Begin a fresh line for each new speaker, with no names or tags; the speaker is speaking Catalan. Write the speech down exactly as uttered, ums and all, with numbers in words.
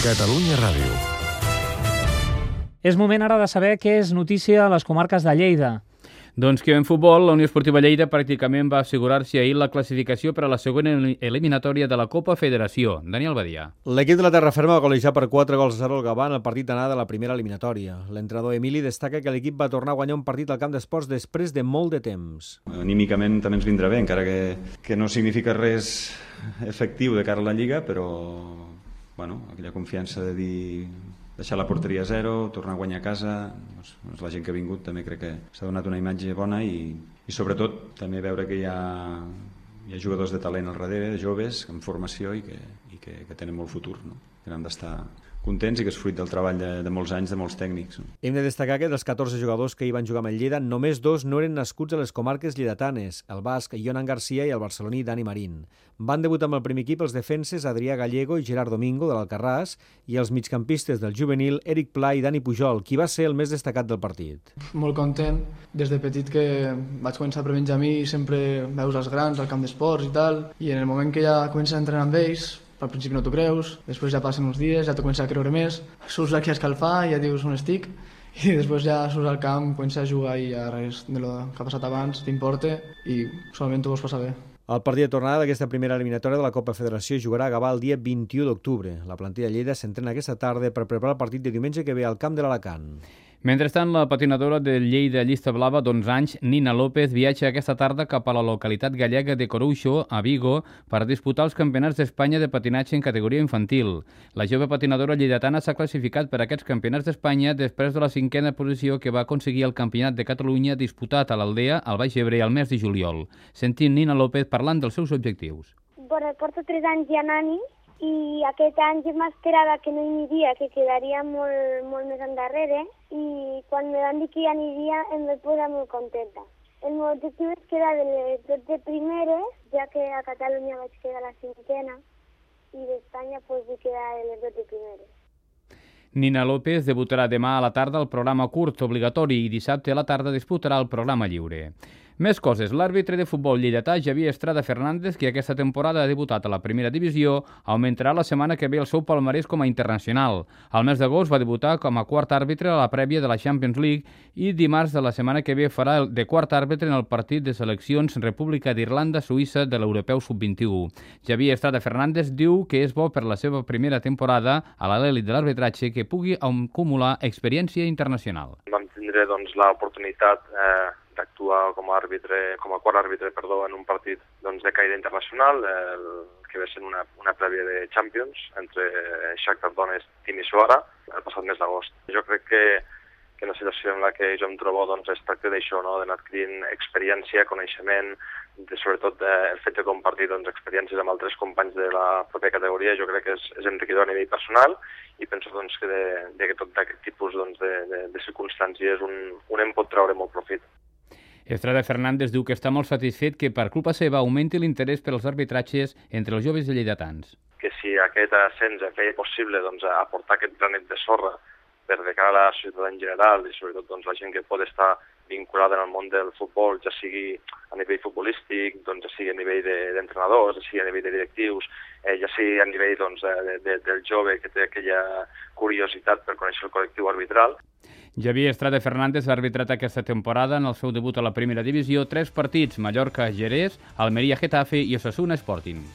Catalunya Ràdio.
És moment ara de saber què és notícia a les comarques de Lleida.
Doncs que en futbol, la Unió Esportiva Lleida pràcticament va assegurar-se ahir la classificació per a la següent eliminatòria de la Copa Federació. Daniel Badia.
L'equip de la Terraferma va golejar per quatre gols a zero al Gavà en el partit d'anada de la primera eliminatòria. L'entrenador Emili destaca que l'equip va tornar a guanyar un partit al camp d'esports després de molt de temps.
Anímicament també ens vindrà bé, encara que, que no significa res efectiu de cara a la Lliga, però bueno, aquella confiança de dir deixar la porteria a zero, tornar a guanyar a casa, doncs la gent que ha vingut també crec que s'ha donat una imatge bona i, i sobretot també veure que hi ha, hi ha jugadors de talent al darrere, de joves, en formació i que, i que, que tenen molt futur, no? Que n'han d'estar contents i que és fruit del treball de, de molts anys de molts tècnics. No?
Hem de destacar que dels catorze jugadors que hi van jugar amb el Lleida, només dos no eren nascuts a les comarques lleidatanes, el basc Jonan Garcia i el barceloní Dani Marín. Van debutar amb el primer equip els defenses Adrià Gallego i Gerard Domingo de l'Alcarràs i els migcampistes del juvenil Eric Pla i Dani Pujol, qui va ser el més destacat del partit.
Molt content, des de petit que vaig començar per Benjamí i sempre veus els grans al camp d'esports i tal, i en el moment que ja comences a entrenar amb ells, al principi no t'ho creus, després ja passen uns dies, ja t'ho comences a creure més, surts aquí a escalfar i ja dius on estic, i després ja surts al camp, comences a jugar i ja res de lo que ha passat abans t'importa i solament t'ho vols passar bé.
El partit de tornada d'aquesta primera eliminatòria de la Copa Federació jugarà a Gavà el dia vint-i-u d'octubre. La plantilla de Lleida s'entrena aquesta tarda per preparar el partit de diumenge que ve al camp de l'Alacant.
Mentrestant, la patinadora de Lleida Llista Blava d'onze anys, Nina López, viatja aquesta tarda cap a la localitat gallega de Coruixo, a Vigo, per disputar els campionats d'Espanya de patinatge en categoria infantil. La jove patinadora lleidatana s'ha classificat per aquests campionats d'Espanya després de la cinquena posició que va aconseguir el Campionat de Catalunya disputat a l'Aldea, al Baix Ebre, al mes de juliol. Sentim Nina López parlant dels seus objectius.
Bueno, porto tres anys ja anant i aquest any jo m'esperava que no hi aniria, que quedaria molt, molt més endarrere, i quan me van dir que hi aniria em vaig posar molt contenta. El meu objectiu és quedar de les dotze primeres, ja que a Catalunya vaig quedar la cinquena, i d'Espanya pues, vull quedar de les dotze primeres.
Nina López debutarà demà a la tarda al programa curt obligatori i dissabte a la tarda disputarà el programa lliure. Més coses. L'àrbitre de futbol lleidatà, Javier Estrada Fernández, que aquesta temporada ha debutat a la primera divisió, augmentarà la setmana que ve el seu palmarès com a internacional. Al mes d'agost va debutar com a quart àrbitre a la prèvia de la Champions League i dimarts de la setmana que ve farà el de quart àrbitre en el partit de seleccions República d'Irlanda-Suïssa de l'Europeu sub vint-i-u. Javier Estrada Fernández diu que és bo per la seva primera temporada a l'elit de l'arbitratge que pugui acumular experiència internacional.
Vam tindre doncs, l'oportunitat eh, d'actuar com a àrbitre, com a quart àrbitre, perdó, en un partit doncs, de caire internacional, el que va ser una, una prèvia de Champions entre Shakhtar Donetsk i Timisoara el passat mes d'agost. Jo crec que, que la situació en la que jo em trobo doncs, es tracta d'això, no? D'anar adquirint experiència, coneixement, de, sobretot de, el fet de compartir doncs, experiències amb altres companys de la pròpia categoria, jo crec que és, és enriquidor a nivell personal i penso doncs, que, de, de que tot aquest tipus doncs, de, de, de circumstàncies un, un en pot treure molt profit.
Estrada Fernández diu que està molt satisfet que per culpa seva augmenti l'interès per als arbitratges entre els joves lleidatans.
Que si aquest ascens feia possible doncs, aportar aquest granet de sorra per de cara a la societat en general i sobretot doncs, la gent que pot estar vinculada en el món del futbol, ja sigui a nivell futbolístic, doncs, ja sigui a nivell d'entrenadors, ja sigui a nivell de directius, eh, ja sigui a nivell doncs, de, de, del jove que té aquella curiositat per conèixer el col·lectiu arbitral.
Javier Estrada Fernández ha arbitrat aquesta temporada en el seu debut a la primera divisió tres partits, Mallorca-Jerez, Almeria-Getafe i Osasuna Sporting.